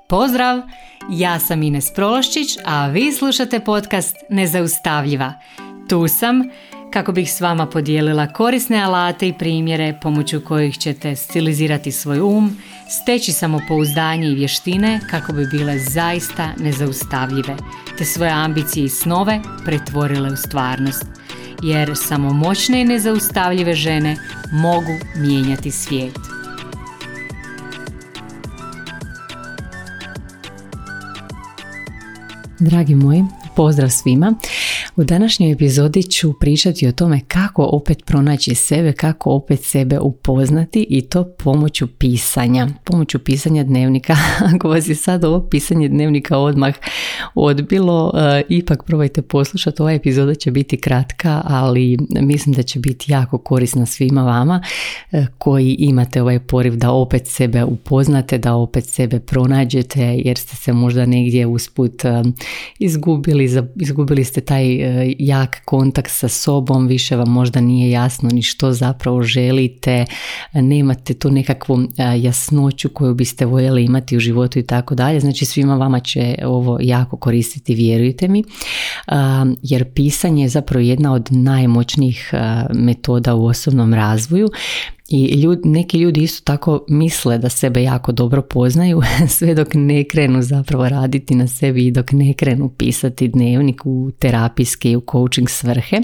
Pozdrav! Ja sam Ines Prološčić, a vi slušate podcast Nezaustavljiva. Tu sam kako bih s vama podijelila korisne alate i primjere pomoću kojih ćete stilizirati svoj steći samopouzdanje i vještine kako bi bile zaista nezaustavljive, te svoje ambicije i snove pretvorile u stvarnost. Jer samo moćne i nezaustavljive žene mogu mijenjati svijet. Dragi moji, pozdrav svima. U današnjoj epizodi ću pričati o tome kako opet pronaći sebe, kako opet sebe upoznati i to pomoću pisanja dnevnika. Ako vas je sad ovo pisanje dnevnika odmah odbilo, ipak probajte poslušati. Ova epizoda će biti kratka, ali mislim da će biti jako korisna svima vama koji imate ovaj poriv da opet sebe upoznate, da opet sebe pronađete, jer ste se možda negdje usput izgubili ste taj jak kontakt sa sobom, više vam možda nije jasno ni što zapravo želite, nemate tu nekakvu jasnoću koju biste voljeli imati u životu i tako dalje. Znači svima vama će ovo jako koristiti, vjerujte mi, jer pisanje je zapravo jedna od najmoćnijih metoda u osobnom razvoju. I neki ljudi isto tako misle da sebe jako dobro poznaju sve dok ne krenu zapravo raditi na sebi i dok ne krenu pisati dnevnik u terapijske i u coaching svrhe.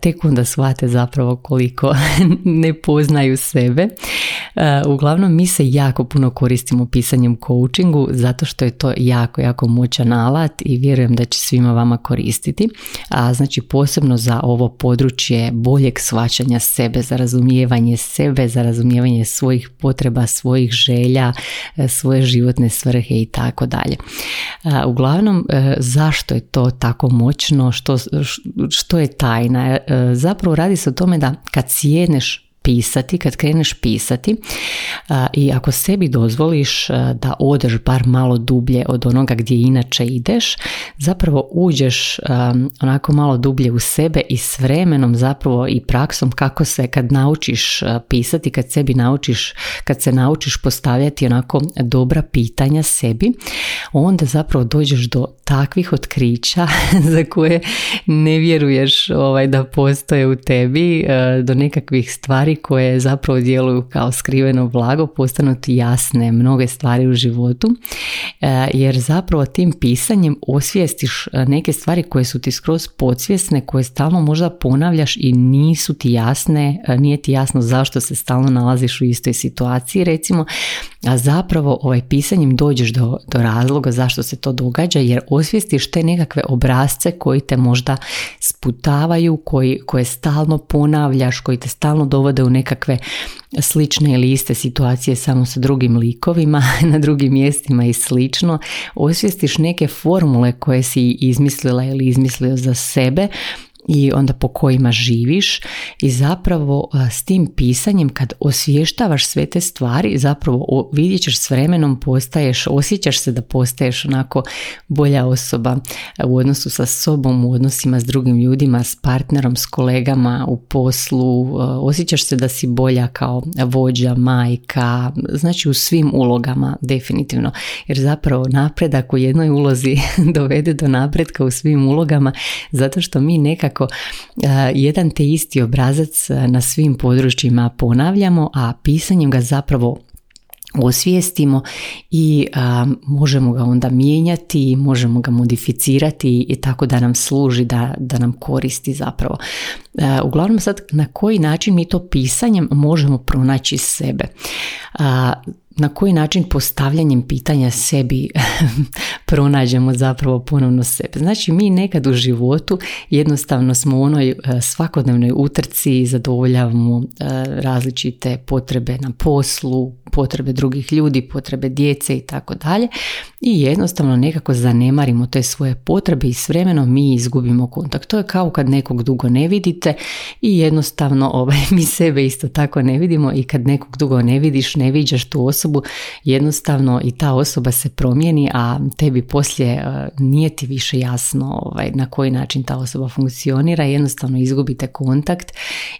Tek onda shvate zapravo koliko ne poznaju sebe. Uglavnom mi se jako puno koristimo pisanjem u coachingu zato što je to jako moćan alat i vjerujem da će svima vama koristiti. Znači posebno za ovo područje boljeg shvaćanja sebe, za razumijevanje sebe, za razumijevanje svojih potreba, svojih želja, svoje životne svrhe i tako dalje. Uglavnom, zašto je to tako moćno? Što je tajna? Zapravo radi se o tome da kad sjedneš pisati, kad kreneš pisati i ako sebi dozvoliš da odeš bar malo dublje od onoga gdje inače ideš, zapravo uđeš onako malo dublje u sebe i s vremenom zapravo i praksom kako se kad naučiš pisati, kad se naučiš postavljati onako dobra pitanja sebi, onda zapravo dođeš do takvih otkrića za koje ne vjeruješ da postoje u tebi, do nekakvih stvari koje zapravo djeluju kao skriveno blago, postanu ti jasne mnoge stvari u životu, jer zapravo tim pisanjem osvijestiš neke stvari koje su ti skroz podsvjesne, koje stalno možda ponavljaš i nisu ti jasne, nije ti jasno zašto se stalno nalaziš u istoj situaciji recimo, a zapravo pisanjem dođeš do razloga zašto se to događa, jer osvijestiš te nekakve obrasce koji te možda sputavaju, koje stalno ponavljaš, koji te stalno dovode u nekakve slične ili iste situacije samo sa drugim likovima, na drugim mjestima i slično. Osvijestiš neke formule koje si izmislila ili izmislio za sebe i onda po kojima živiš i zapravo s tim pisanjem kad osvještavaš sve te stvari zapravo vidjet ćeš s vremenom osjećaš se da postaješ onako bolja osoba u odnosu sa sobom, u odnosima s drugim ljudima, s partnerom, s kolegama u poslu, osjećaš se da si bolja kao vođa, majka, znači u svim ulogama definitivno, jer zapravo napredak u jednoj ulozi dovede do napretka u svim ulogama zato što mi nekako jedan te isti obrazac na svim područjima ponavljamo, a pisanjem ga zapravo osvijestimo i možemo ga onda mijenjati, možemo ga modificirati i tako da nam služi, da nam koristi zapravo. Uglavnom sad na koji način mi to pisanjem možemo pronaći sebe? Na koji način postavljanjem pitanja sebi pronađemo zapravo ponovno sebe. Znači mi nekad u životu jednostavno smo u onoj svakodnevnoj utrci, zadovoljavamo različite potrebe na poslu, potrebe drugih ljudi, potrebe djece i tako dalje i jednostavno nekako zanemarimo te svoje potrebe i s vremenom mi izgubimo kontakt. To je kao kad nekog dugo ne vidite i jednostavno mi sebe isto tako ne vidimo i kad nekog dugo ne vidiš, ne viđaš tu osobu, jednostavno i ta osoba se promijeni, a tebi poslije nije ti više jasno na koji način ta osoba funkcionira, jednostavno izgubite kontakt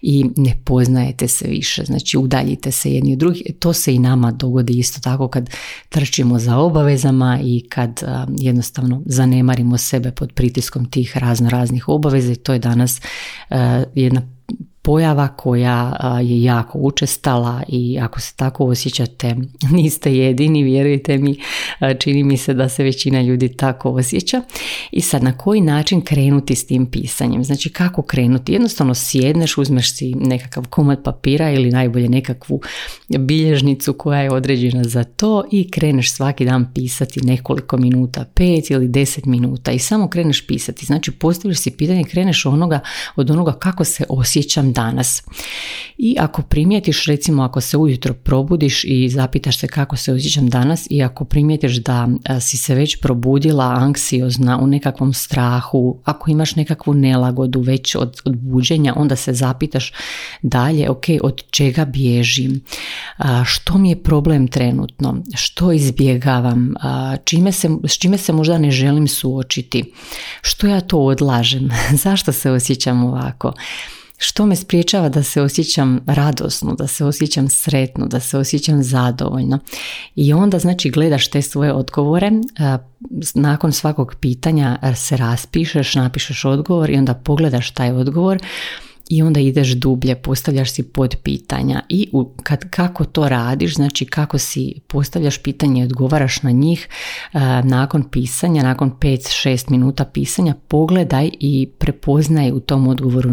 i ne poznajete se više, znači udaljite se jedni od drugih. To se i nama dogodi isto tako kad trčimo za obavezama i kad jednostavno zanemarimo sebe pod pritiskom tih raznih obaveza i to je danas jedna pojava koja je jako učestala i ako se tako osjećate niste jedini, vjerujte mi, čini mi se da se većina ljudi tako osjeća. I sad na koji način krenuti s tim pisanjem? Znači kako krenuti? Jednostavno sjedneš, uzmeš si nekakav komad papira ili najbolje nekakvu bilježnicu koja je određena za to i kreneš svaki dan pisati nekoliko minuta, 5 ili 10 minuta i samo kreneš pisati. Znači postaviš si pitanje, kreneš od onoga kako se osjećam danas. I ako primijetiš, recimo ako se ujutro probudiš i zapitaš se kako se osjećam danas i ako primijetiš da si se već probudila anksiozna u nekakvom strahu, ako imaš nekakvu nelagodu već od buđenja, onda se zapitaš dalje, ok, od čega bježim, što mi je problem trenutno, što izbjegavam, s čime se možda ne želim suočiti, što ja to odlažem, zašto se osjećam ovako. Što me spriječava da se osjećam radosno, da se osjećam sretno, da se osjećam zadovoljno. I onda znači gledaš te svoje odgovore, nakon svakog pitanja se raspišeš, napišeš odgovor i onda pogledaš taj odgovor i onda ideš dublje, postavljaš si podpitanja i kako to radiš, znači kako si postavljaš pitanje i odgovaraš na njih nakon pisanja, nakon 5-6 minuta pisanja, pogledaj i prepoznaj u tom odgovoru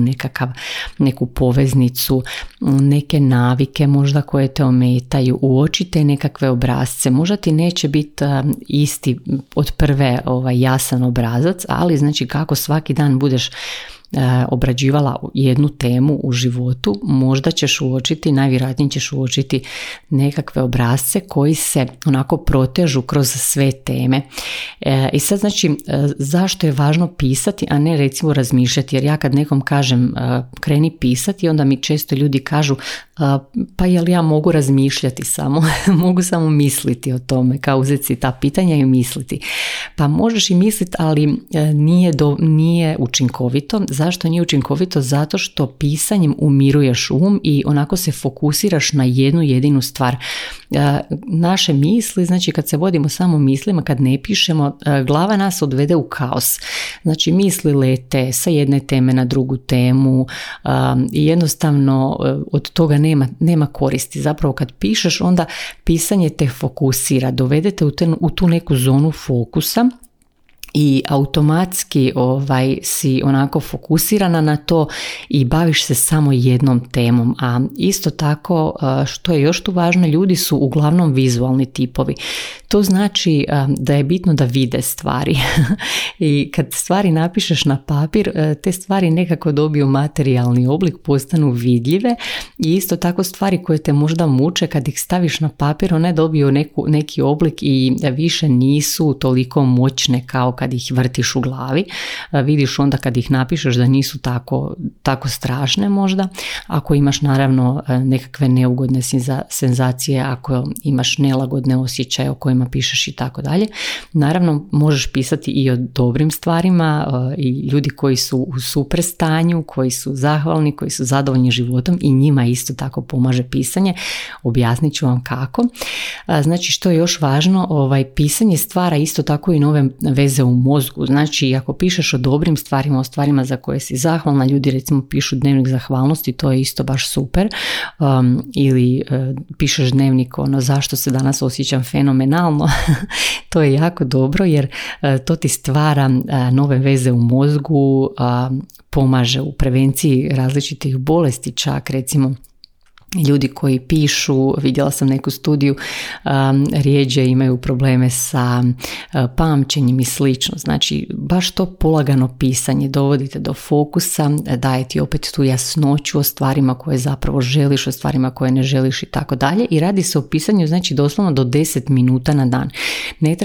neku poveznicu, neke navike možda koje te ometaju, uočite nekakve obrasce, možda ti neće biti isti od prve jasan obrazac, ali znači kako svaki dan budeš obrađivala jednu temu u životu, možda ćeš uočiti, najvjerojatnije ćeš uočiti nekakve obrasce koji se onako protežu kroz sve teme. I sad znači zašto je važno pisati, a ne recimo razmišljati, jer ja kad nekom kažem kreni pisati, onda mi često ljudi kažu pa jel ja mogu razmišljati samo, mogu samo misliti o tome, kao uzeti si ta pitanja i misliti. Pa možeš i misliti, ali nije učinkovito. Zašto nije učinkovito? Zato što pisanjem umiruješ i onako se fokusiraš na jednu jedinu stvar. Naše misli, znači kad se vodimo samo mislima, kad ne pišemo, glava nas odvede u kaos. Znači misli lete sa jedne teme na drugu temu i jednostavno od toga nema koristi. Zapravo kad pišeš, onda pisanje te fokusira, dovedete u tu neku zonu fokusa i automatski si onako fokusirana na to i baviš se samo jednom temom. A isto tako, što je još tu važno, ljudi su uglavnom vizualni tipovi. To znači da je bitno da vide stvari. I kad stvari napišeš na papir, te stvari nekako dobiju materijalni oblik, postanu vidljive i isto tako stvari koje te možda muče, kad ih staviš na papir, one dobiju neki oblik i više nisu toliko moćne kao kad ih vrtiš u glavi. Vidiš onda kad ih napišeš da nisu tako strašne možda. Ako imaš naravno nekakve neugodne senzacije, ako imaš nelagodne osjećaje o kojima pišeš i tako dalje. Naravno možeš pisati i o dobrim stvarima i ljudi koji su u super stanju, koji su zahvalni, koji su zadovoljni životom i njima isto tako pomaže pisanje. Objasnit ću vam kako. Znači što je još važno, pisanje stvara isto tako i nove veze u mozgu. Znači ako pišeš o dobrim stvarima, o stvarima za koje si zahvalna, ljudi recimo pišu dnevnik zahvalnosti, to je isto baš super. Ili pišeš dnevnik zašto se danas osjećam fenomenalno. To je jako dobro jer to ti stvara nove veze u mozgu, pomaže u prevenciji različitih bolesti, čak recimo ljudi koji pišu, vidjela sam neku studiju, rijeđe imaju probleme sa pamćenjem i slično. Znači, baš to polagano pisanje dovodite do fokusa, daje ti opet tu jasnoću o stvarima koje zapravo želiš, o stvarima koje ne želiš i tako dalje. I radi se o pisanju, znači doslovno do 10 minuta na dan. Ne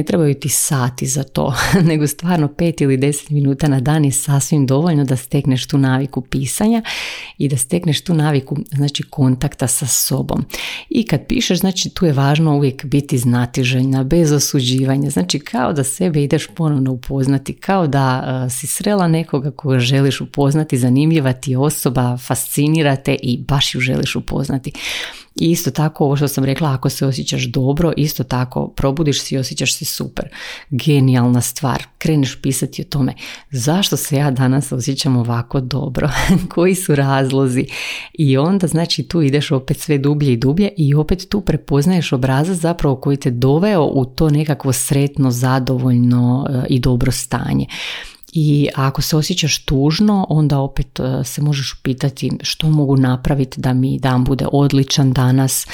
trebaju ti sati za to, nego stvarno 5 ili 10 minuta na dan je sasvim dovoljno da stekneš tu naviku pisanja i da stekneš tu naviku znači kontakta sa sobom. I kad pišeš, znači tu je važno uvijek biti znatiželjna, bez osuđivanja, znači kao da sebe ideš ponovno upoznati, kao da si srela nekoga koga želiš upoznati, zanimljiva ti osoba, fascinira te i baš ju želiš upoznati. I isto tako ovo što sam rekla, ako se osjećaš dobro, isto tako probudiš se i osjećaš se super. Genijalna stvar. Kreneš pisati o tome zašto se ja danas osjećam ovako dobro, koji su razlozi. I onda znači tu ideš opet sve dublje i dublje i opet tu prepoznaješ obrazac zapravo koji te doveo u to nekakvo sretno, zadovoljno i dobro stanje. I ako se osjećaš tužno, onda opet se možeš upitati što mogu napraviti da mi dan bude odličan danas,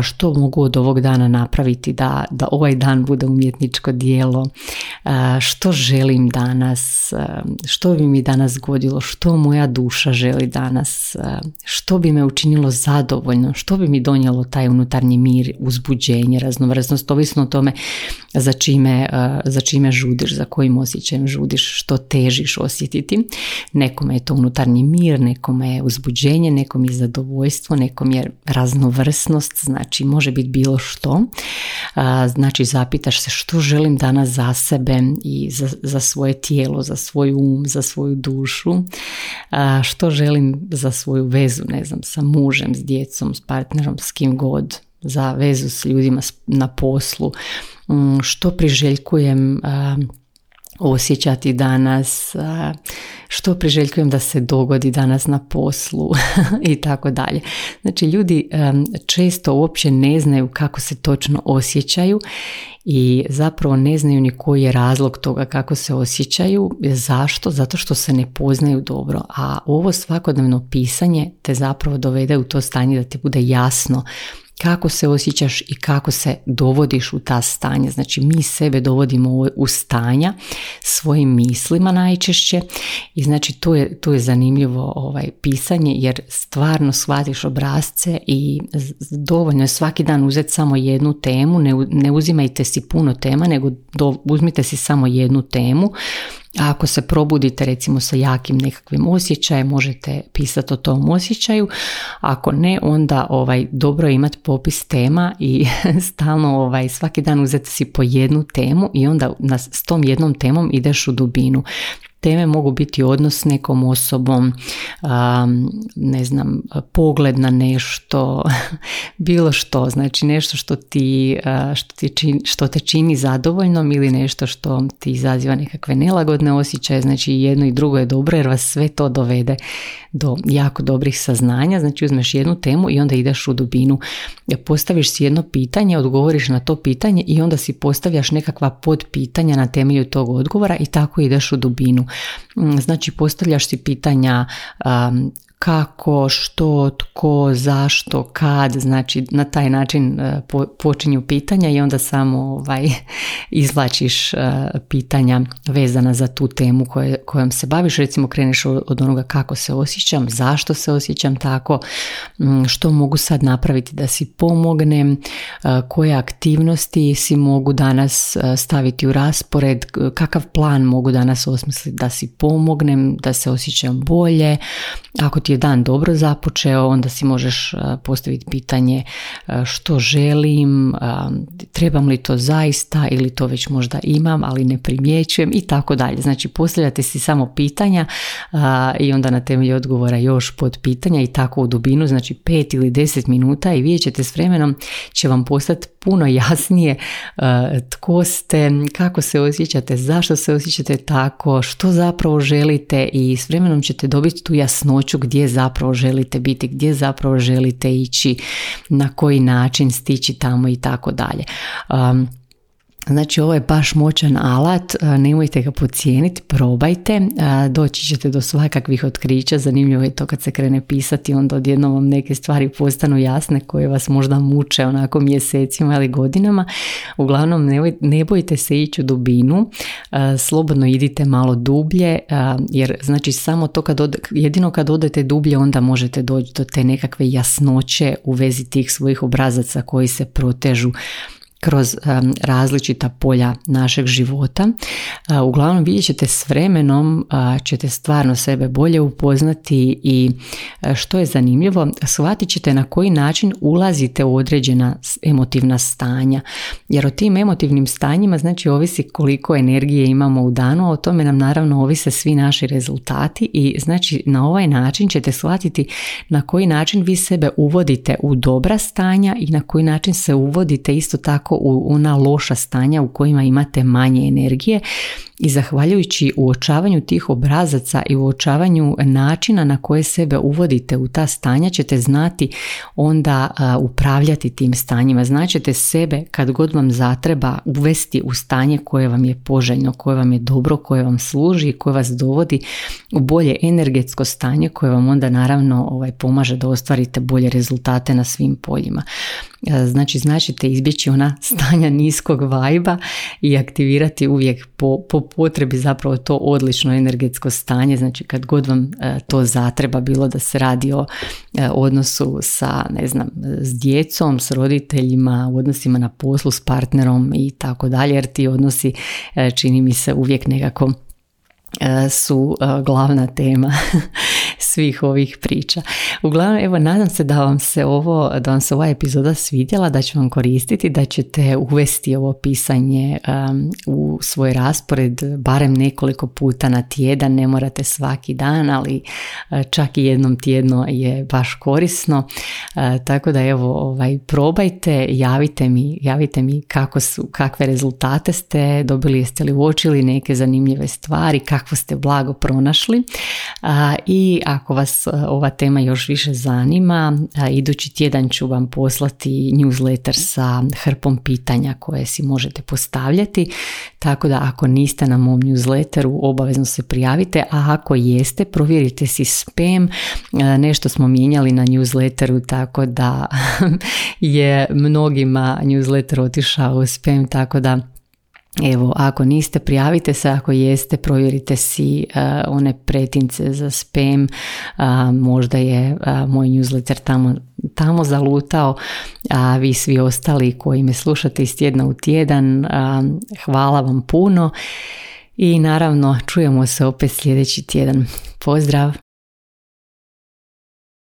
što mogu od ovog dana napraviti da ovaj dan bude umjetničko djelo, što želim danas, što bi mi danas godilo, što moja duša želi danas, što bi me učinilo zadovoljno, što bi mi donijelo taj unutarnji mir, uzbuđenje, raznovrsnost, ovisno o tome za čime žudiš, za kojim osjećajem žudiš, što težiš osjetiti. Nekome je to unutarnji mir, nekome je uzbuđenje, nekom je zadovoljstvo, nekom je raznovrsnost, znači može biti bilo što. Znači zapitaš se što želim danas za sebe i za svoje tijelo, za svoj um, za svoju dušu, što želim za svoju vezu, ne znam, sa mužem, s djecom, s partnerom, s kim god, za vezu s ljudima na poslu, što priželjkujem osjećati danas, što priželjkujem da se dogodi danas na poslu i tako dalje. Znači ljudi često uopće ne znaju kako se točno osjećaju i zapravo ne znaju ni koji je razlog toga kako se osjećaju. Zašto? Zato što se ne poznaju dobro. A ovo svakodnevno pisanje te zapravo dovede u to stanje da ti bude jasno kako se osjećaš i kako se dovodiš u ta stanja. Znači mi sebe dovodimo u stanja svojim mislima najčešće i znači tu je zanimljivo pisanje jer stvarno shvatiš obrasce i dovoljno je svaki dan uzeti samo jednu temu, ne uzimajte si puno tema nego uzmite si samo jednu temu. A ako se probudite recimo sa jakim nekakvim osjećajem, možete pisati o tom osjećaju. Ako ne, onda dobro je imati popis tema i stalno svaki dan uzeti si po jednu temu i onda s tom jednom temom ideš u dubinu. Teme mogu biti odnos s nekom osobom, ne znam, pogled na nešto, bilo što, znači nešto što te čini zadovoljnom ili nešto što ti izaziva nekakve nelagodne osjećaje, znači jedno i drugo je dobro jer vas sve to dovede do jako dobrih saznanja. Znači uzmeš jednu temu i onda ideš u dubinu, postaviš si jedno pitanje, odgovoriš na to pitanje i onda si postavljaš nekakva podpitanja na temelju tog odgovora i tako ideš u dubinu. Znači postavljaš si pitanja kako, što, tko, zašto, kad, znači na taj način počinju pitanja i onda samo izvlačiš pitanja vezana za tu temu kojom se baviš. Recimo kreneš od onoga kako se osjećam, zašto se osjećam tako, što mogu sad napraviti da si pomognem, koje aktivnosti si mogu danas staviti u raspored, kakav plan mogu danas osmisliti da si pomognem, da se osjećam bolje. Ako ti je dan dobro započeo, onda si možeš postaviti pitanje što želim, trebam li to zaista ili to već možda imam, ali ne primjećujem i tako dalje. Znači postavljate si samo pitanja i onda na temelju odgovora još pod pitanja i tako u dubinu, znači 5 ili 10 minuta i vidjet ćete s vremenom će vam postati puno jasnije tko ste, kako se osjećate, zašto se osjećate tako, što zapravo želite i s vremenom ćete dobiti tu jasnoću gdje zapravo želite biti, gdje zapravo želite ići, na koji način stići tamo i tako dalje. Znači ovo je baš moćan alat, nemojte ga podcijeniti, probajte, doći ćete do svakakvih otkrića. Zanimljivo je to kad se krene pisati, onda odjednom vam neke stvari postanu jasne koje vas možda muče onako mjesecima ili godinama. Uglavnom ne bojte se ići u dubinu, slobodno idite malo dublje, jer znači samo to jedino kad odete dublje onda možete doći do te nekakve jasnoće u vezi tih svojih obrazaca koji se protežu kroz različita polja našeg života. Uglavnom vidjet ćete s vremenom, ćete stvarno sebe bolje upoznati i što je zanimljivo, shvatit ćete na koji način ulazite u određena emotivna stanja. Jer o tim emotivnim stanjima znači ovisi koliko energije imamo u danu, a o tome nam naravno ovise svi naši rezultati i znači na ovaj način ćete shvatiti na koji način vi sebe uvodite u dobra stanja i na koji način se uvodite isto tako u ona loša stanja u kojima imate manje energije. I zahvaljujući uočavanju tih obrazaca i uočavanju načina na koje sebe uvodite u ta stanja ćete znati onda upravljati tim stanjima. Znaćete sebe kad god vam zatreba uvesti u stanje koje vam je poželjno, koje vam je dobro, koje vam služi i koje vas dovodi u bolje energetsko stanje koje vam onda naravno pomaže da ostvarite bolje rezultate na svim poljima. Znači značite izbjeći ona stanja niskog vajba i aktivirati uvijek po potrebi zapravo to odlično energetsko stanje. Znači kad god vam to zatreba, bilo da se radi o odnosu sa, s djecom, s roditeljima, u odnosima na poslu, s partnerom i tako dalje, jer ti odnosi čini mi se uvijek nekako su glavna tema svih ovih priča. Uglavnom, evo, nadam se da vam se ova epizoda svidjela, da će vam koristiti, da ćete uvesti ovo pisanje u svoj raspored barem nekoliko puta na tjedan, ne morate svaki dan, ali čak i jednom tjedno je baš korisno. Tako da evo, probajte, javite mi kakve rezultate ste dobili, jeste li uočili neke zanimljive stvari, kakvo ste blago pronašli. I ako vas ova tema još više zanima, idući tjedan ću vam poslati newsletter sa hrpom pitanja koje si možete postavljati, tako da ako niste na mom newsletteru obavezno se prijavite, a ako jeste provjerite si spam, nešto smo mijenjali na newsletteru tako da je mnogima newsletter otišao u spam, tako da evo, ako niste, prijavite se, ako jeste, provjerite si one pretince za spam, možda je moj newsletter tamo zalutao, a vi svi ostali koji me slušate iz tjedna u tjedan, hvala vam puno i naravno čujemo se opet sljedeći tjedan. Pozdrav!